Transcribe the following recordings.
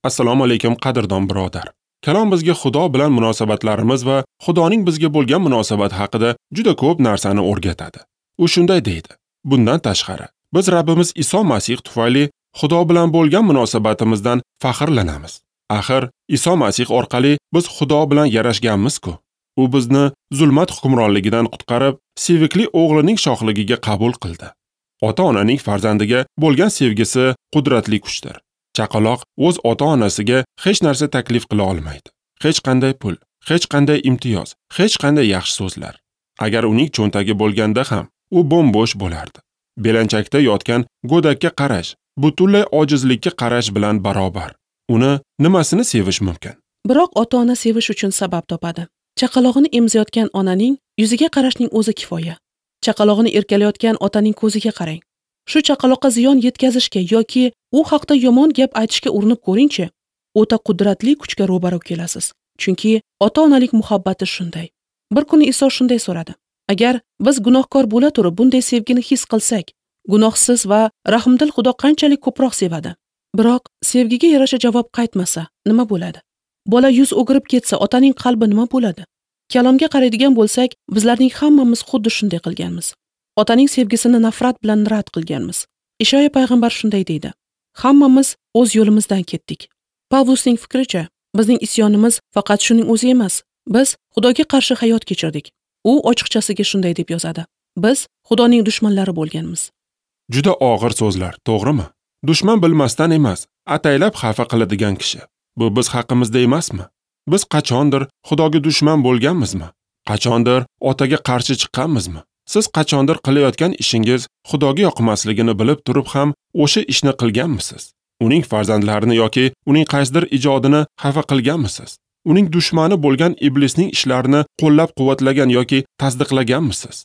Assalomu alaykum qadrdon birodar. Kalom bizga Xudo bilan munosabatlarimiz va Xudoning bizga bo'lgan munosabati haqida juda ko'p narsani o'rgatadi. U shunday deydi: Bundan tashqari, biz Rabbimiz Iso Masih tufayli Xudo bilan bo'lgan munosabatimizdan faxrlanamiz. Axir Iso Masih orqali biz Xudo bilan yarashganmiz-ku. U bizni zulmat hukmronligidan qutqarib, sevikli o'g'lining shohligiga qabul qildi. Ota-onaning farzandiga bo'lgan sevgisi qudratli kuchdir. Chaqaloq o'z ota-onasiga hech narsa taklif qila olmaydi. Hech qanday pul, hech qanday imtiyoz, hech qanday yaxshi so'zlar. Agar uning cho'ntagi bo'lganda ham u bo'm-bo'sh bo'lardi. Belanchakda yotgan go'dakka qarash, butunlay ojizlikka qarash bilan barobar. Uni nimasini sevish mumkin? Biroq ota-ona sevish uchun sabab topadi. Chaqalog'ini emizayotgan onaning yuziga qarashning o'zi kifoya. Chaqalog'ini erkalayotgan otaning ko'ziga qarang. Shu chaqaloqqa ziyon yetkazishga yoki u haqda yomon gap aytishga urinib ko'ringchi, o'ta qudratli kuchga ro'baro kelasiz. Chunki ota-onalik muhabbati shunday. Bir kuni Iso shunday so'radi: Agar biz gunohkor bo'la turib bunday sevgini his qilsak, gunohsiz va rahmdil Xudo qanchalik ko'proq sevadi? Biroq sevgiga yarasha javob qaytmasa, nima bo'ladi? Bola yuz o'girib ketsa, otaning qalbi nima bo'ladi? Kalomga qaraydigan bo'lsak, bizlarning hammamiz xuddi shunday qilganmiz. Otaning sevgisini nafrat bilan rad qilganmiz. Ishoya payg'ambar shunday deydi: Hammamiz o'z yo'limizdan ketdik. Pavlusning fikricha, bizning isyonimiz faqat shuning o'zi emas. Biz Xudoga qarshi hayot kechirdik. U ochiqchasiga shunday deb yozadi: Biz Xudoning dushmanlari bo'lganmiz. Juda og'ir so'zlar, to'g'rimi? Dushman bilmasdan emas, ataylab xafa qiladigan kishi. Bu biz haqimizda emasmi? Biz qachondir Xudoga dushman bo'lganmizmi? Qachondir otaga qarshi chiqqanmizmi? Siz qachondir qilayotgan ishingiz Xudoga yoqmasligini bilib turib ham o'sha ishni qilganmisiz? Uning farzandlarini yoki uning qaysidir ijodini xafa qilganmisiz? Uning dushmani bo'lgan iblisning ishlarini qo'llab-quvvatlagan yoki tasdiqlaganmisiz?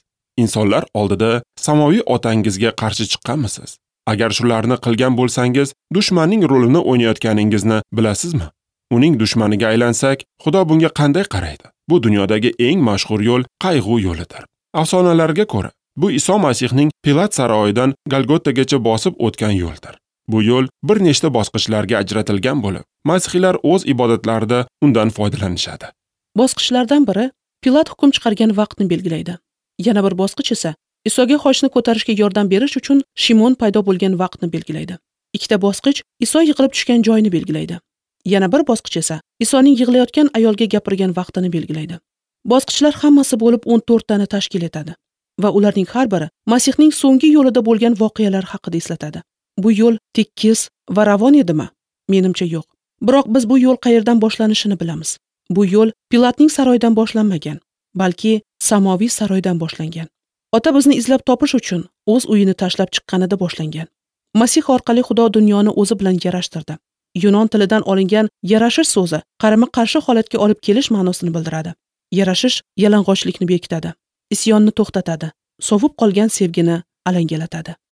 Insonlar oldida samoviy otangizga qarshi chiqqanmisiz? Agar shularni qilgan bo'lsangiz, dushmanning rolini o'ynayotganingizni bilasizmi? Uning dushmaniga aylansak, Xudo bunga qanday qaraydi? Bu dunyodagi eng mashhur yo'l qayg'u yo'lidir. Afsonalarga ko'ra, bu Iso Masihning Pilat saroyidan Golgotagacha bosib o'tgan yo'ldir. Bu yo'l bir nechta bosqichlarga ajratilgan bo'lib, masihiylar o'z ibodatlarida undan foydalanishadi. Bosqichlardan biri Pilat hukm chiqargan vaqtni belgilaydi. Yana bir bosqich esa Isoga xochni ko'tarishga yordam berish uchun Shimon paydo bo'lgan vaqtni belgilaydi. Ikkita bosqich Iso yiqilib tushgan joyni belgilaydi. Yana bir bosqich esa Isoning yig'layotgan ayolga gapirgan vaqtini belgilaydi. Bosqichlar hammasi bo'lib 14 tani tashkil etadi va ularning har biri Masihning so'nggi yo'lida bo'lgan voqealar haqida eslatadi. Bu yo'l tekis va ravon edimi? Menimcha yo'q. Biroq biz bu yo'l qayerdan boshlanishini bilamiz. Bu yo'l Pilatning saroyidan boshlanmagan, balki samoviy saroydan boshlangan. Ota bizni izlab topish uchun o'z uyini tashlab chiqqanida boshlangan. Masih orqali Xudo dunyoni o'zi bilan yarashtirdi. Yunon tilidan olingan yarashish so'zi qarama-qarshi holatga olib kelish ma'nosini bildiradi. Yarashish yalang'ochlikni bekitadi, isyonni to'xtatadi, sovib qolgan sevgini alangalatadi.